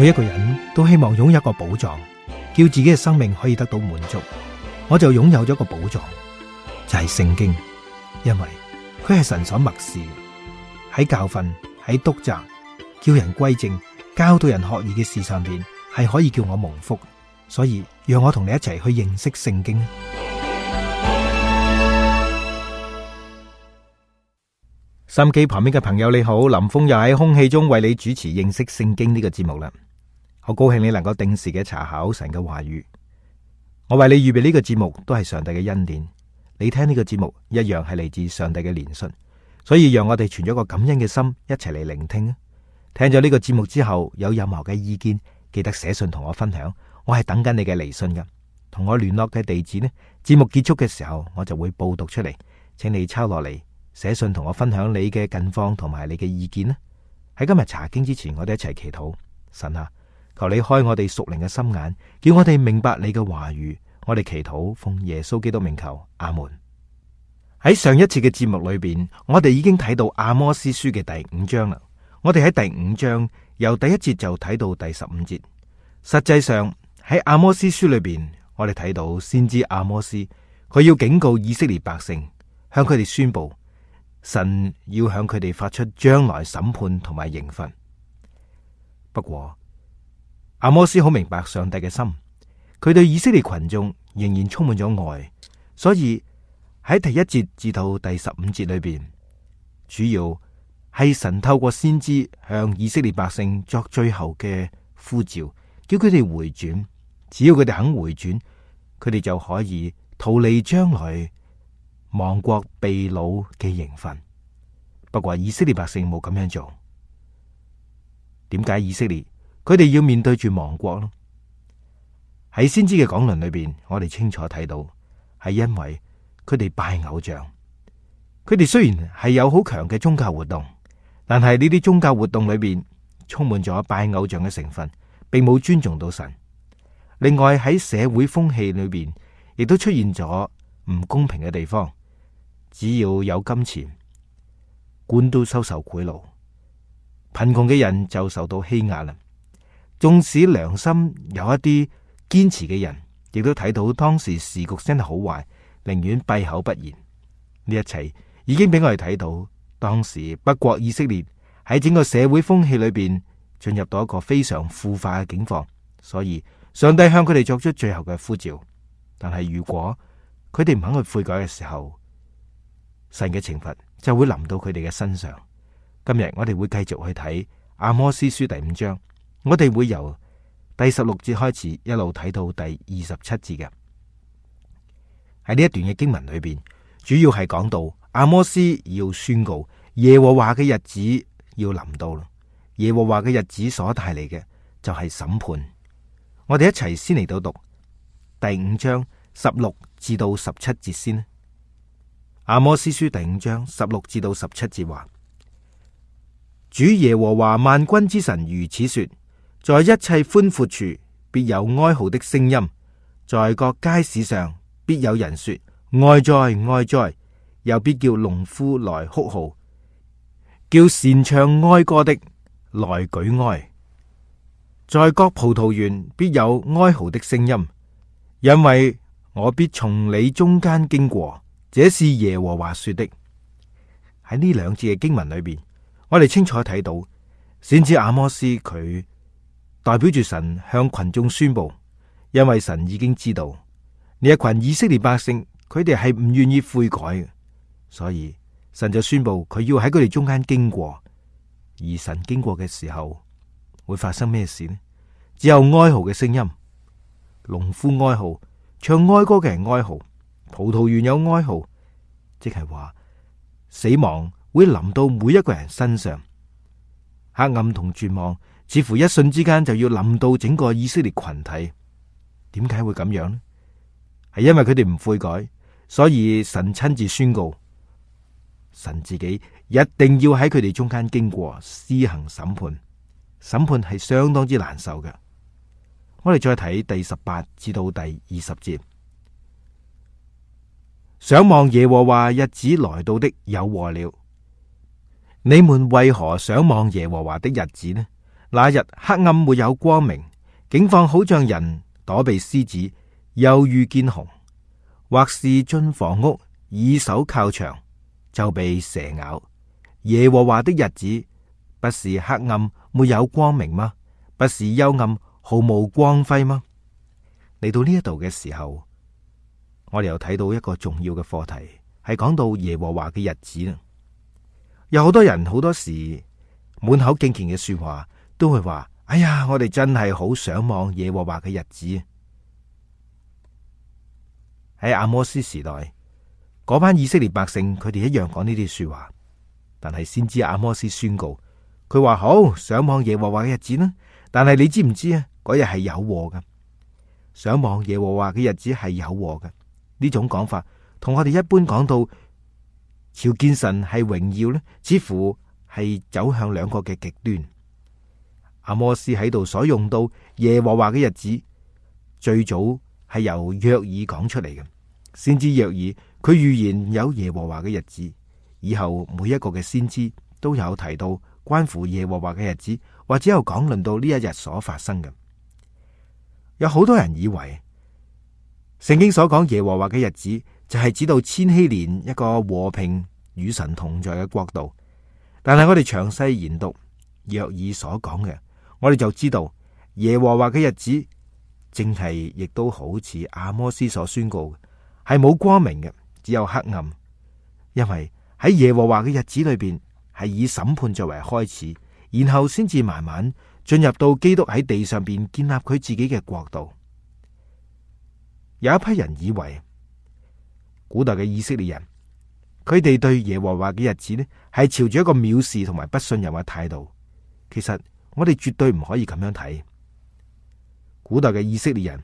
每一個人都希望擁有一個寶藏，叫自己嘅生命可以得到滿足。我就擁有咗一個寶藏，就係聖經，因為佢係神所默示，喺教訓、喺督責、叫人歸正、教導人學義嘅事上邊，係可以叫我蒙福。所以讓我同你一齊去認識聖經。收音機旁邊嘅朋友你好，林峰又喺空氣中為你主持認識聖經呢個節目啦。好高興你能夠定時嘅查考神嘅話語。我為你預備呢個節目都係上帝嘅恩典，你聽呢個節目一樣係嚟自上帝嘅憐恤，所以讓我哋存咗個感恩嘅心一齊嚟聆聽。聽咗呢個節目之後，有任何嘅意見，記得寫信同我分享，我係等緊你嘅嚟信噶。同我聯絡嘅地址呢，節目結束嘅時候我就會報讀出嚟，請你抄落嚟。寫信同我分享你嘅近況同埋你嘅意見啦。喺今日查經之前，我哋一齊祈禱。神啊，求你開我哋屬靈嘅心眼，叫我哋明白你嘅話語。我哋祈禱奉耶穌基督名求，阿門。喺上一次嘅節目裏邊，我哋已經睇到阿摩司書嘅第5章啦。我哋喺第5章由第1節就睇到第15節。實際上喺阿摩司書裏邊，我哋睇到先知阿摩司，佢要警告以色列百姓，向佢哋宣布神要向佢哋發出將來審判同埋刑罰。不過阿摩司好明白上帝嘅心，佢對以色列群眾仍然充滿咗愛，所以喺第1節至到第15節裏邊，主要係神透過先知向以色列百姓作最後嘅呼召，叫佢哋回轉。只要佢哋肯回轉，佢哋就可以逃離將來亡國被擄嘅刑罰。不過以色列百姓冇咁樣做。點解以色列佢哋要面對住亡國呢？喺先知嘅講論裏邊，我哋清楚睇到係因為佢哋拜偶像。佢哋雖然係有好強嘅宗教活動，但係呢啲宗教活動裏邊充滿咗拜偶像嘅成分，並冇尊重到神。另外喺社會風氣裏邊，亦都出現咗唔公平嘅地方。只要有金錢，官都收受賄賂，貧窮嘅人就受到欺壓啦。縱使良心有一啲堅持嘅人，亦都睇到當時時局真係好壞，寧願閉口不言。呢一切已經俾我哋睇到，當時北國以色列喺整個社會風氣裏邊進入到一個非常腐化嘅境況。所以上帝向佢哋作出最後嘅呼召。但係如果佢哋唔肯去悔改嘅時候，神嘅懲罰就會臨到佢哋嘅身上。今日我哋會繼續去睇阿摩司書第5章，我哋會由第16節開始一路睇到第27節嘅。喺呢一段嘅經文裏邊，主要係講到阿摩司要宣告耶和華嘅日子要臨到啦。耶和華嘅日子所帶嚟嘅就係審判。我哋一齊先嚟到讀第5章16至到17節先。阿摩司書第5章16至到17節話：主耶和華萬軍之神如此說，在一切寬闊處必有哀號的聲音，在各街市上必有人說哀哉哀哉，又必叫農夫來哭號，叫擅唱哀歌的來舉哀。在各葡萄園必有哀號的聲音，因為我必從你中間經過，這是耶和華說的。喺呢兩節嘅經文裏邊，我哋清楚睇到先知阿摩司佢代表住神向群眾宣布，因為神已經知道呢一群以色列百姓佢哋係唔願意悔改嘅，所以神就宣布佢要喺佢哋中間經過。而神經過嘅時候會發生咩事呢？只有哀號嘅聲音，農夫哀號，唱哀歌嘅人哀號，葡萄園有哀號，即係話死亡會臨到每一個人身上。黑暗同絕望似乎一瞬之間就要臨到整個以色列群體。點解會咁樣呢？係因為佢哋唔悔改，所以神親自宣告，神自己一定要喺佢哋中間經過，施行審判。審判係相當之難受嘅。我哋再睇第18至到第20節。想望耶和華日子來到的有禍了。你們為何想望耶和華的日子呢？那日黑暗沒有光明，景況好像人躲避獅子，又遇見熊，或是進房屋以手靠牆，就被蛇咬。耶和華的日子不是黑暗沒有光明嗎？不是幽暗毫無光輝嗎？嚟到呢一度嘅時候，我哋又睇到一個重要嘅課題，係講到耶和華嘅日子啦。有好多人好多時滿口敬虔嘅說話，都會話：哎呀，我哋真係好想望耶和華嘅日子。喺阿摩斯時代，嗰班以色列百姓，佢哋一樣講呢啲說話。但係先知阿摩斯宣告，佢話好想望耶和華嘅日子啦。但係你知唔知啊？嗰日係有禍噶。想望耶和華嘅日子係有禍嘅。呢種講法同我哋一般講到朝見神係榮耀呢，似乎係走向兩個嘅極端。阿摩斯喺度所用到耶和華嘅日子，最早係由約珥講出嚟嘅。先知約珥佢預言有耶和華嘅日子，以後每一個嘅先知都有提到關乎耶和華嘅日子，或者有講論到呢一日所發生嘅。有好多人以為聖經所講耶和華嘅日子就係指到千禧年一個和平與神同在嘅國度，但係我哋詳細研讀約珥所講嘅，我哋就知道耶和華嘅日子正係亦都好似阿摩斯所宣告嘅，係冇光明嘅，只有黑暗。因為喺耶和華嘅日子裏邊係以審判作為開始，然後先至慢慢進入到基督喺地上邊建立佢自己嘅國度。有一批人以為古代嘅以色列人，佢哋對耶和華嘅日子呢係朝住一個藐視同埋不信任嘅態度。其實我哋絕對唔可以咁樣睇。古代嘅以色列人，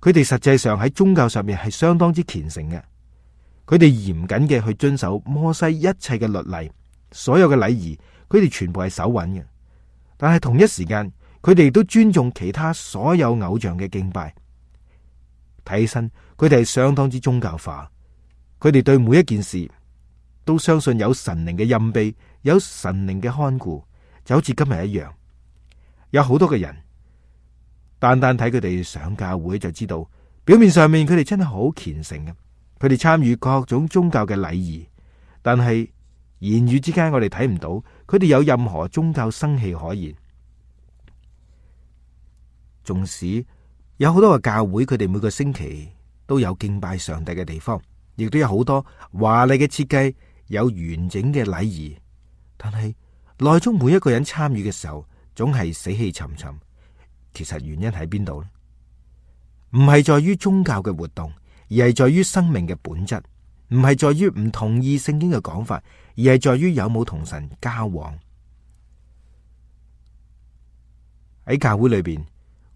佢哋實際上喺宗教上面係相當之虔誠嘅，佢哋嚴謹嘅去遵守摩西一切嘅律例，所有嘅禮儀，佢哋全部係守穩嘅。但係同一時間，佢哋都尊重其他所有偶像嘅敬拜。睇起身，佢哋係相當之宗教化。佢哋對每一件事都相信有神靈嘅蔭庇，有神靈嘅看顧，就好似今日一樣。有好多嘅人，單單睇佢哋上教會就知道，表面上面佢哋真係好虔誠嘅，佢哋參與各種宗教嘅禮儀，但係言語之間我哋睇唔到佢哋有任何宗教生氣可言。縱使有好多個教會，佢哋每個星期都有敬拜上帝嘅地方，亦都有好多華麗嘅設計，有完整嘅禮儀，但係內中每一個人參與嘅時候，總係死氣沉沉。其實原因喺邊度呢？唔係在於宗教嘅活動，而係在於生命嘅本質；唔係在於唔同意聖經嘅講法，而係在於有冇同神交往。喺教會裏邊，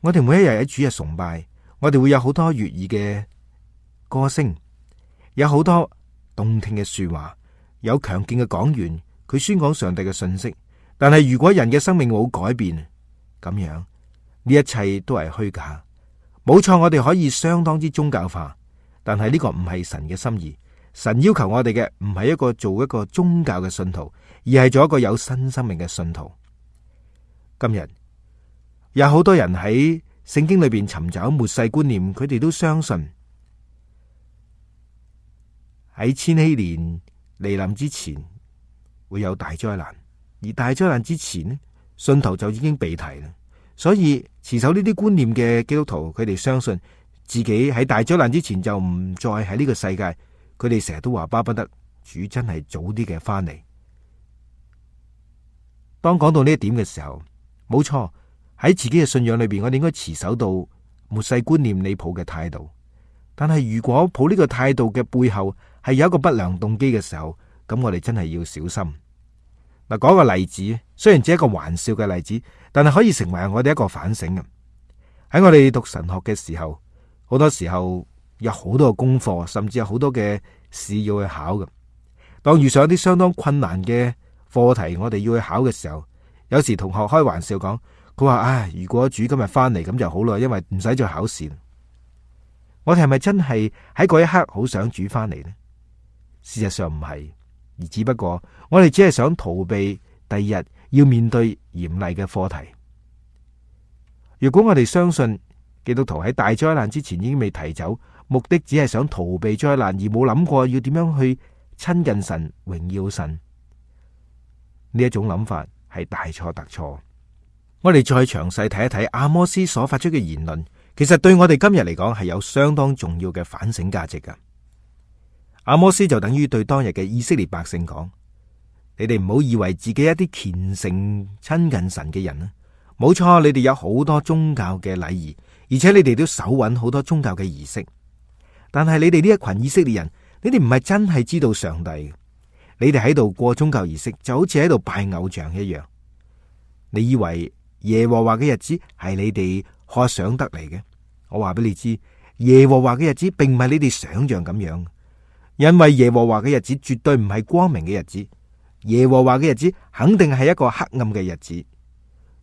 我哋每一日喺主日崇拜，我哋會有好多悅耳嘅歌聲，有好多動聽嘅說話，有強勁嘅講員，佢宣講上帝嘅信息。但係如果人嘅生命冇改變，咁樣呢一切都係虛假。冇錯，我哋可以相當之宗教化，但係呢個唔係神嘅心意。神要求我哋嘅唔係做一個宗教嘅信徒，而係做一個有新生命嘅信徒。今日有好多人喺聖經裏邊尋找末世觀念，佢哋都相信喺千禧年來臨之前會有大災難，而大災難之前呢，信徒就已經被提啦。所以持守呢啲觀念嘅基督徒，佢哋相信自己喺大災難之前就唔再喺呢個世界。佢哋成日都話巴不得主真係早啲嘅翻嚟。當講到呢一點嘅時候，冇錯，喺自己嘅信仰裏邊，我哋應該持守到末世觀念你抱嘅態度。但係如果抱呢個態度嘅背後係有一個不良動機嘅時候，咁我哋真係要小心。嗱，講個例子，雖然只係一個玩笑嘅例子，但係可以成為我哋一個反省嘅。喺我哋讀神學嘅時候，好多時候有好多嘅功課，甚至有好多嘅事要去考嘅。當遇上一啲相當困難嘅課題，我哋要去考嘅時候，有時同學開玩笑講，佢話：唉，如果主今日翻嚟咁就好啦，因為唔使再考試。我哋係咪真係喺嗰一刻好想主翻嚟呢？事實上唔係。而只不過我哋只係想逃避第二日要面對嚴厲嘅課題。如果我哋相信基督徒喺大災難之前已經被提走，目的只係想逃避災難，而冇諗過要點樣去親近神、榮耀神，呢一種諗法係大錯特錯。我哋再詳細睇一睇阿摩司所發出嘅言論，其實對我哋今日嚟講係有相當重要嘅反省價值㗎。阿摩司就等於對當日嘅以色列百姓講：你哋唔好以為自己一啲虔誠親近神嘅人啊，冇錯，你哋有好多宗教嘅禮儀，而且你哋都手穩好多宗教嘅儀式，但係你哋呢一群以色列人，你哋唔係真係知道上帝，你哋喺度過宗教儀式，就好似喺度拜偶像一樣。你以為耶和華嘅日子係你哋渴想得嚟嘅？我話俾你知，耶和華嘅日子並唔係你哋想象咁樣，因為耶和華嘅日子絕對唔係光明嘅日子，耶和華嘅日子肯定係一個黑暗嘅日子。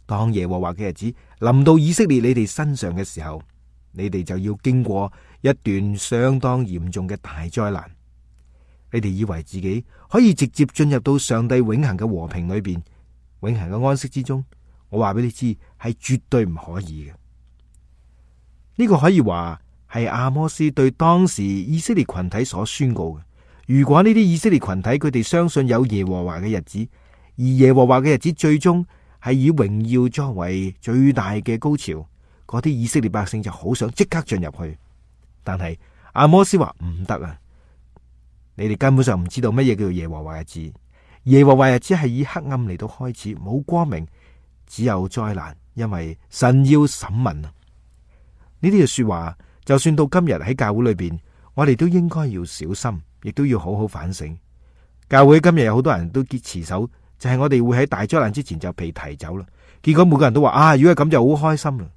當耶和華嘅日子臨到以色列你哋身上嘅時候，你哋就要經過一段相當嚴重嘅大災難。你哋以為自己可以直接進入到上帝永恆嘅和平裏邊，永恆嘅安息之中？我話俾你知，係絕對唔可以嘅。呢個可以話係阿摩司對當時以色列群體所宣告嘅。如果呢啲以色列群體佢哋相信有耶和華嘅日子，而耶和華嘅日子最終係以榮耀作為最大嘅高潮，嗰啲以色列百姓就好想即刻進入去。但係阿摩司話唔得啊！你哋根本上唔知道乜嘢叫做耶和華日子。耶和華日子係以黑暗嚟到開始，冇光明，只有災難，因為神要審問啊！呢啲嘅說話，就算到今日喺教會裏邊，我哋都應該要小心，亦都要好好反省。教會今日有好多人都結持守，就係我哋會喺大災難之前就被提走啦。結果每個人都話啊，如果係咁就好開心啦。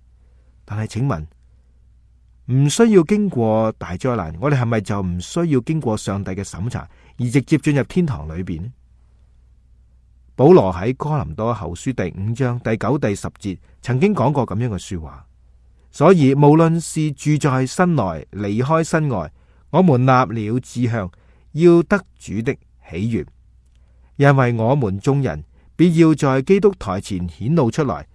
但係請問，唔需要經過大災難，我哋係咪就唔需要經過上帝嘅審查，而直接進入天堂裏邊呢？保羅喺哥林多後書第5章第9、第10節曾經講過咁樣嘅說話，所以無論是住在身內，離開身外，我們立了志向，要得主的喜悅，因為我們眾人必要在基督台前顯露出來，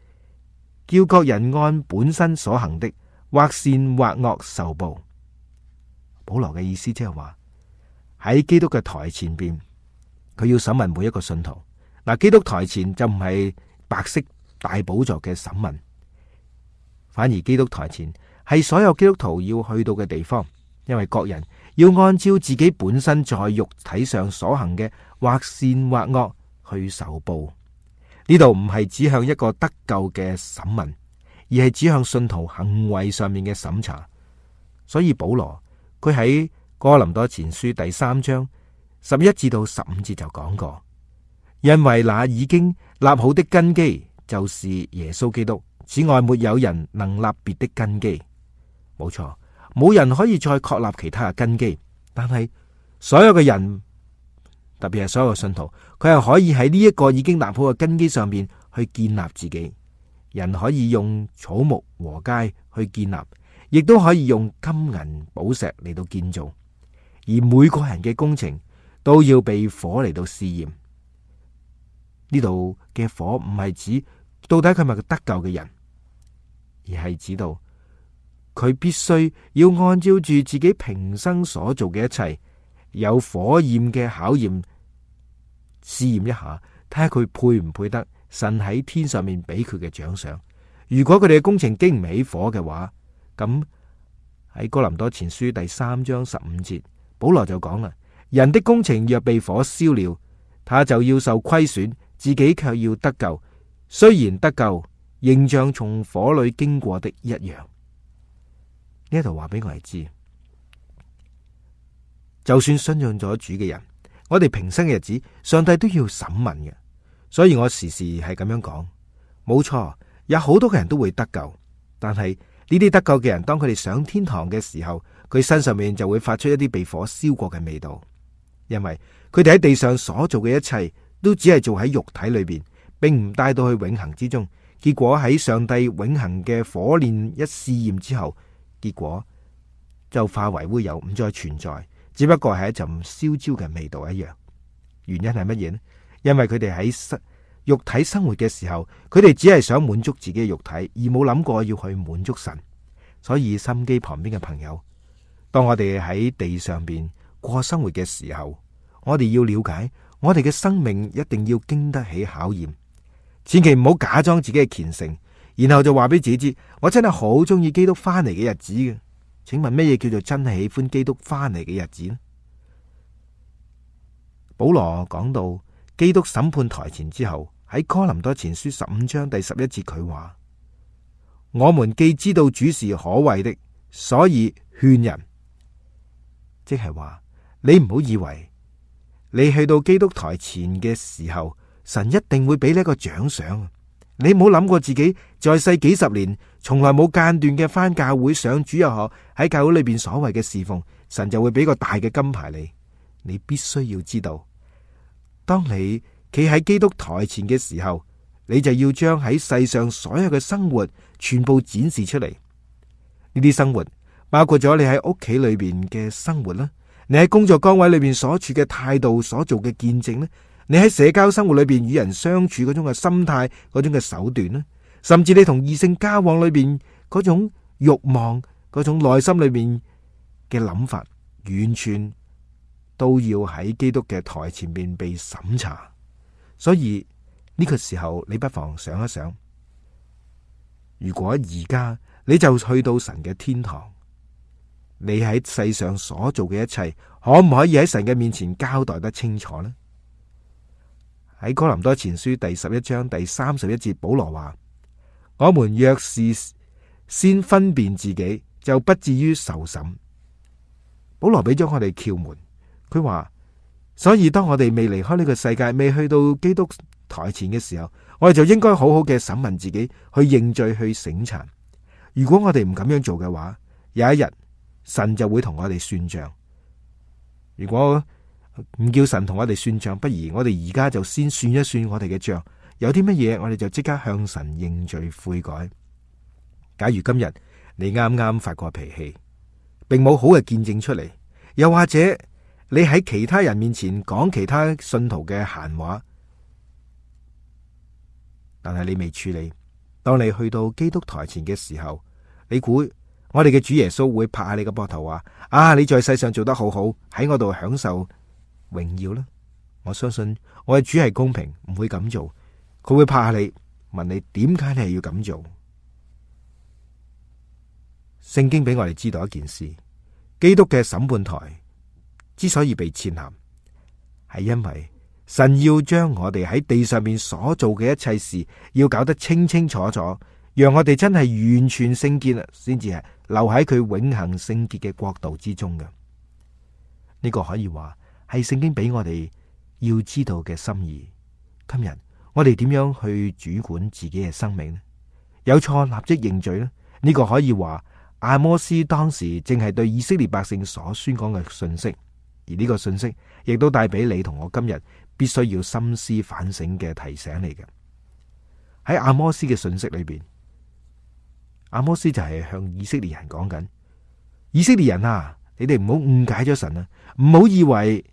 叫各人按本身所行的，或善或惡受報。保羅嘅意思即係話喺基督嘅台前邊，佢要審問每一個信徒。嗱，基督台前就唔係白色大寶座嘅審問，反而基督台前係所有基督徒要去到嘅地方，因為各人要按照自己本身在肉體上所行嘅，或善或惡去受報。呢度唔係指向一個得救嘅審問，而係指向信徒行為上面嘅審查。所以保羅佢喺哥林多前書第3章11至到15節就講過。因為那已經立好的根基就是耶穌基督，此外沒有人能立別的根基。冇錯，冇人可以再確立其他嘅根基，但係所有嘅人，特別係所有嘅信徒，佢係可以喺呢一個已經立好嘅根基上面去建立自己。人可以用草木禾秸去建立，亦都可以用金銀寶石嚟到建造，而每個人嘅工程都要被火嚟到試驗。呢度嘅火唔係指到底佢係咪個得救嘅人，而係指到佢必須要按照住自己平生所做嘅一切，有火焰嘅考驗，試驗一下，睇下佢配唔配得神喺天上面俾佢嘅獎賞。如果佢哋嘅工程經唔起火嘅話，咁喺哥林多前書第3章15節，保羅就講啦：人的工程若被火燒了，他就要受虧損，自己卻要得救，雖然得救，仍像從火裏經過的一樣。呢度話俾我哋知，就算信任咗主嘅人，我哋平生嘅日子，上帝都要審問嘅。所以我時時係咁樣講，冇錯，有好多嘅人都會得救，但係呢啲得救嘅人，當佢哋上天堂嘅時候，佢身上面就會發出一啲被火燒過嘅味道，因為佢哋喺地上所做嘅一切，都只係做喺肉體裏邊，並唔帶到去永恆之中。結果喺上帝永恆嘅火煉一試驗之後，結果就化為烏有，唔再存在，只不過係一陣燒焦嘅味道一樣。原因係乜嘢呢？因為佢哋喺肉體生活嘅時候，佢哋只係想滿足自己嘅肉體，而冇諗過要去滿足神。所以心機旁邊嘅朋友，當我哋喺地上邊過生活嘅時候，我哋要了解，我哋嘅生命一定要經得起考驗，千祈唔好假裝自己嘅虔誠，然後就話俾自己知，我真係好中意基督翻嚟嘅日子嘅。請問乜嘢叫做真係喜歡基督翻嚟嘅日子呢？保羅講到基督審判台前之後，喺哥林多前書15章第11節佢話：我們既知道主是可畏的，所以勸人。即係話你唔好以為你去到基督台前嘅時候，神一定會俾你一個獎賞。你唔好諗過自己在世幾十年從來冇間斷嘅返教會上主日學，喺教會裏邊所謂嘅侍奉，神就會俾個大嘅金牌你。你必須要知道，當你企喺基督台前嘅時候，你就要將喺世上所有嘅生活全部展示出嚟。呢啲生活包括咗你喺屋企裏邊嘅生活啦，你喺工作崗位裏邊所處嘅態度，所做嘅見證咧，你喺社交生活裏邊與人相處嗰種嘅心態，嗰種嘅手段啦，甚至你同異性交往裏邊嗰種慾望，嗰種內心裏邊嘅諗法，完全都要喺基督嘅台前面被審查。所以呢個時候，你不妨想一想，如果而家你就去到神嘅天堂，你喺世上所做嘅一切，可唔可以喺神嘅面前交代得清楚呢？喺哥林多前書第11章第31節，保羅話：我們若是先分辨自己，就不至於受審。保羅俾咗我哋竅門，佢話：所以當我哋未離開呢個世界，未去到基督台前嘅時候，我哋就應該好好嘅審問自己，去認罪，去省察。如果我哋唔咁樣做嘅話，有一日神就會同我哋算賬。如果唔叫神同我哋算賬，不如我哋而家就先算一算我哋嘅賬，有啲乜嘢我哋就即刻向神認罪悔改。假如今日你啱啱發過脾氣，並冇好嘅見證出嚟，又或者你喺其他人面前講其他信徒嘅閒話，但係你未處理，當你去到基督台前嘅時候，你估我哋嘅主耶穌會拍下你個膊頭話：啊，你在世上做得好好，喺我度享受榮耀啦！我相信我嘅主係公平，唔會咁做。佢會拍下你，問你點解你係要咁做。聖經俾我哋知道一件事：基督嘅審判台之所以被設立，係因為神要將我哋喺地上面所做嘅一切事，要搞得清清楚楚，讓我哋真係完全聖潔啦，先至係留喺佢永恆聖潔嘅國度之中嘅。呢個可以話係聖經俾我哋要知道嘅心意。今日我哋點樣去主管自己嘅生命呢？有錯立即認罪呢？呢個可以話阿摩司當時正係對以色列百姓所宣講嘅信息，而呢個信息亦都帶俾你同我今日必須要深思反省嘅提醒嚟嘅。喺阿摩司嘅信息裏邊，阿摩司就係向以色列人講緊：以色列人啊，你哋唔好誤解咗神啊，唔好以為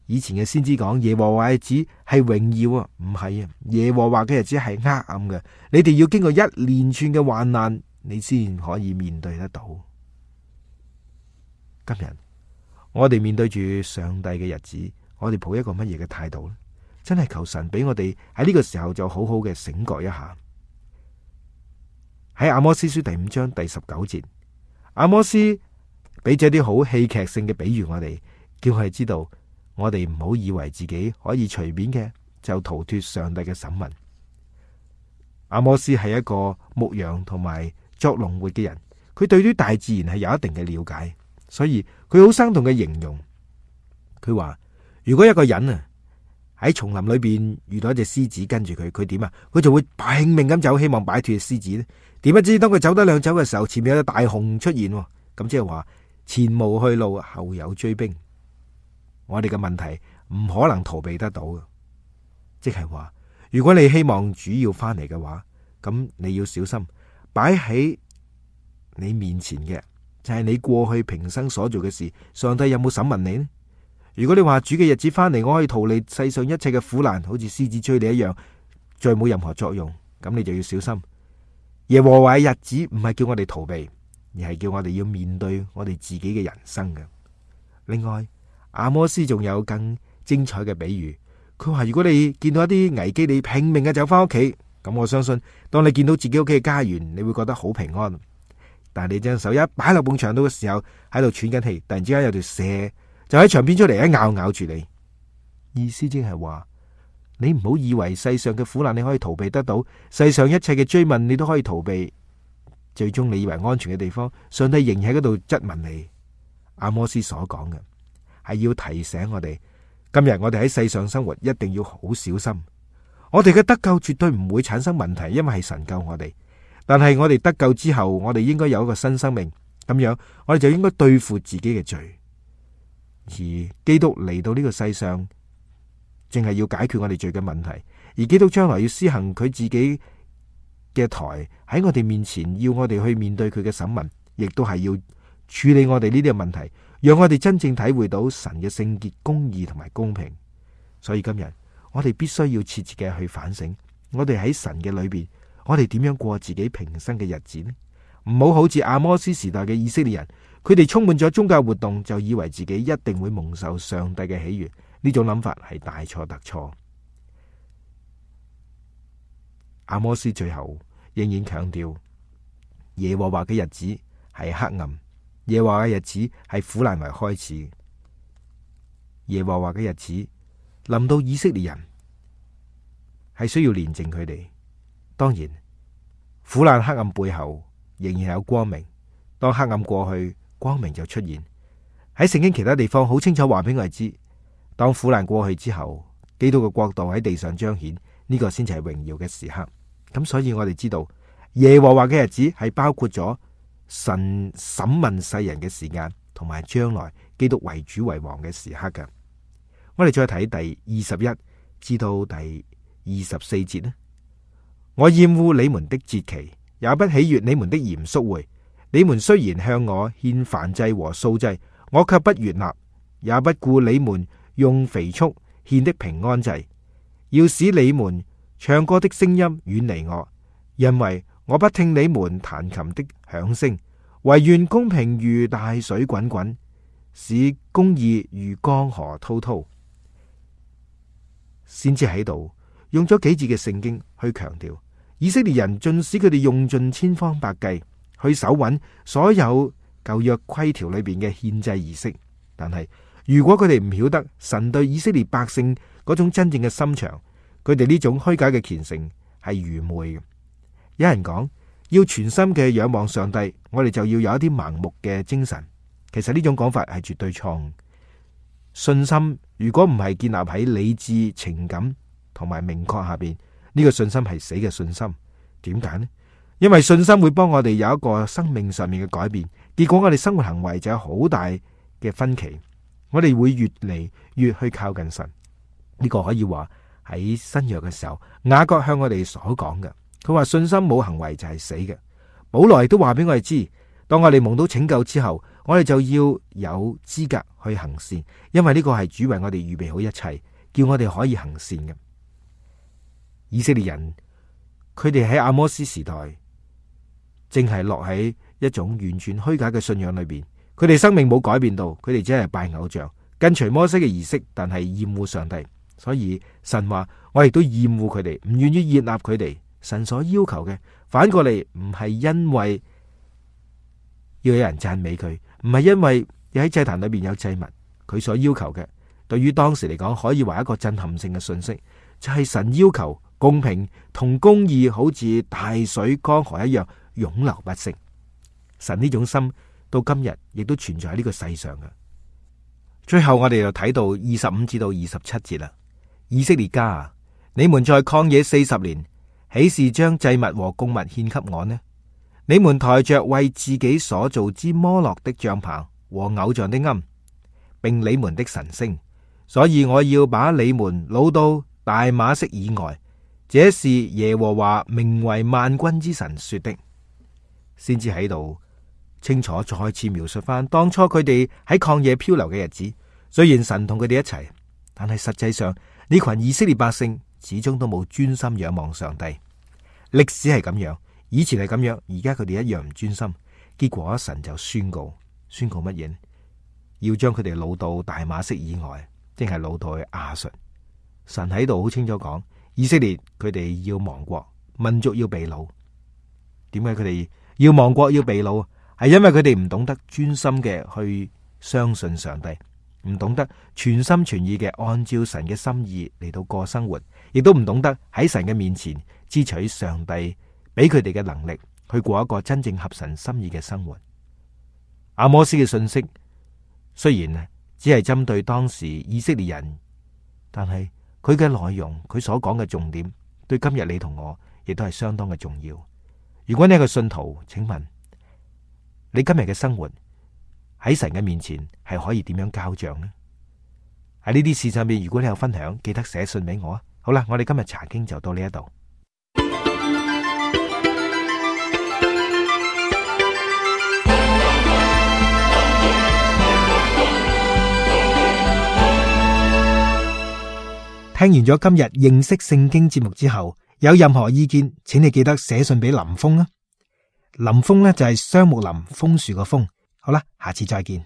以前嘅先知講耶和華嘅日子係榮耀啊，唔係啊，耶和華嘅日子係黑暗嘅。你哋要經過一連串嘅患難，你先可以面對得到。今日我哋面對住上帝嘅日子，我哋抱一個乜嘢嘅態度呢？真係求神俾我哋喺呢個時候就好好嘅醒覺一下。喺阿摩司書第5章第19節，阿摩司俾咗啲好戲劇性嘅比喻我哋，叫我哋知道我哋唔好以為自己可以隨便嘅就逃脫上帝嘅審問。阿摩司係一個牧羊同埋作農活嘅人，佢對於大自然係有一定嘅了解，所以佢好生動嘅形容，佢話如果一個人啊喺叢林裏邊遇到一隻獅子跟住佢，佢點啊？佢就會拼命咁走，希望擺脫獅子咧。點不知當佢走得兩走嘅時候，前面有隻大熊出現，咁即係話前無去路，後有追兵。我哋嘅問題唔可能逃避得到嘅，即係話如果你希望主要翻嚟嘅話，咁你要小心擺喺你面前嘅就係你過去平生所做嘅事，上帝有冇審問你呢？如果你話主嘅日子翻嚟，我可以逃離世上一切嘅苦難，好似獅子追你一樣，再冇任何作用，咁你就要小心。耶和華嘅日子唔係叫我哋逃避，而係叫我哋要面對我哋自己嘅人生嘅。另外，阿摩司仲有更精彩嘅比喻，佢話如果你見到一啲危機，你拼命嘅走翻屋企，咁我相信當你見到自己屋企嘅家園，你會覺得好平安。但係你將手一擺落埲牆度嘅時候，喺度喘緊氣，突然之間有條蛇就喺牆邊出嚟，一咬住你。意思即係話，你唔好以為世上嘅苦難你可以逃避得到，世上一切嘅追問你都可以逃避，最終你以為安全嘅地方，上帝仍然喺嗰度質問你。阿摩司所講嘅係要提醒我哋，今日我哋喺世上生活一定要好小心。我哋嘅得救絕對唔會產生問題，因為係神救我哋。但係我哋得救之後，我哋應該有一個新生命，咁樣我哋就應該對付自己嘅罪。而基督嚟到呢個世上，正係要解決我哋罪嘅問題。而基督將來要施行佢自己嘅台喺我哋面前，要我哋去面對佢嘅審問，亦都係要處理我哋呢啲嘅問題，讓我哋真正體會到神嘅聖潔、公義同埋公平。所以今日我哋必須要切切嘅去反省，我哋喺神嘅裏邊，我哋點樣過自己平生嘅日子呢？唔好好似阿摩司時代嘅以色列人，佢哋充滿咗宗教活動，就以為自己一定會蒙受上帝嘅喜悅。呢種諗法係大錯特錯。阿摩司最後仍然強調，耶和華嘅日子係黑暗，耶和華嘅日子係苦難為開始。耶和華嘅日子臨到以色列人，係需要煉淨佢哋。當然，苦難黑暗背後仍然有光明。當黑暗過去，光明就出現。喺聖經其他地方好清楚話俾我哋知，當苦難過去之後，基督嘅國度喺地上彰顯，呢個先至係榮耀嘅時刻。咁所以我哋知道耶和華嘅日子係包括咗神審問世人嘅時間，同埋將來基督為主為王嘅時刻嘅。我哋再睇第21至到第24節呢。我厭惡你們的節期，也不喜悅你們的嚴肅會。你們雖然向我獻燔祭和素祭，我卻不悅納，也不顧你們用肥畜獻的平安祭。要使你們唱歌的聲音遠離我，因為我不聽你們彈琴的響聲。惟願公平如大水滾滾，使公義如江河滔滔。先知喺度用咗幾節嘅聖經去強調，以色列人縱使佢哋用盡千方百計去守穩所有舊約規條裏邊嘅獻祭儀式，但係如果佢哋唔曉得神對以色列百姓嗰種真正嘅心腸，佢哋呢種虛假嘅虔誠係愚昧嘅。有人講要全心嘅仰望上帝，我哋就要有一啲盲目嘅精神。其實呢種講法係絕對錯誤。信心如果唔係建立喺理智、情感同埋明確下邊，呢個信心係死嘅信心。點解呢？因為信心會幫我哋有一個生命上面嘅改變，結果我哋生活行為就有好大嘅分歧。我哋會越嚟越去靠近神。呢個可以話喺新約嘅時候，雅各向我哋所講嘅，佢話信心冇行為就係死嘅。保羅亦都話俾我哋知，當我哋蒙到拯救之後，我哋就要有資格去行善，因為呢個係主為我哋預備好一切，叫我哋可以行善嘅。以色列人佢哋喺阿摩司時代，正係落喺一種完全虛假嘅信仰裏邊。佢哋生命冇改變到，佢哋只係拜偶像，跟隨摩西嘅儀式，但係厭惡上帝。所以神話我亦都厭惡佢哋，唔願意接納佢哋。神所要求嘅，反過嚟唔係因為要有人讚美佢，唔係因為要喺祭壇裏邊有祭物。佢所要求嘅，對於當時嚟講，可以話一個震撼性嘅信息，就係神要求公平同公義，好似大水江河一樣湧流不息。神呢種心到今日亦都存在喺呢個世上嘅。最後我哋就睇到25至到27節啦。以色列家啊，你們在曠野40年，豈是將祭物和供物獻給我呢？你們抬着為自己所造之摩洛的帳篷和偶像的龕，並你們的神星，所以我要把你們擄到大馬色以外。這是耶和華名為萬軍之神說的。先至喺度清楚再次描述翻當初佢哋喺曠野漂流嘅日子。雖然神同佢哋一齊，但係實際上呢群以色列百姓始終都冇專心仰望上帝。歷史係咁樣，以前係咁樣，而家佢哋一樣唔專心。結果神就宣告乜嘢？要將佢哋擄到大馬色以外，即係擄到去亞述。神喺度好清楚講，以色列佢哋要亡國，民族要被擄。點解佢哋要亡國要被擄？係因為佢哋唔懂得專心嘅去相信上帝，唔懂得全心全意嘅按照神嘅心意嚟到過生活，亦都唔懂得喺神嘅面前支取上帝俾佢哋嘅能力，去過一個真正合神心意嘅生活。阿摩司嘅信息雖然只係針對當時以色列人，但係佢嘅內容，佢所講嘅重點，對今日你同我亦都係相當嘅重要。如果你係個信徒，請問你今日嘅生活喺神嘅面前係可以點樣交賬呢？喺呢啲事上面，如果你有分享，記得寫信俾我啊！好啦，我哋今日查經就到呢一度。聽完咗今日認識聖經節目之後，有任何意見，請你記得寫信俾林峰啊。林峰呢就係雙木林楓樹個楓。好啦，下次再見。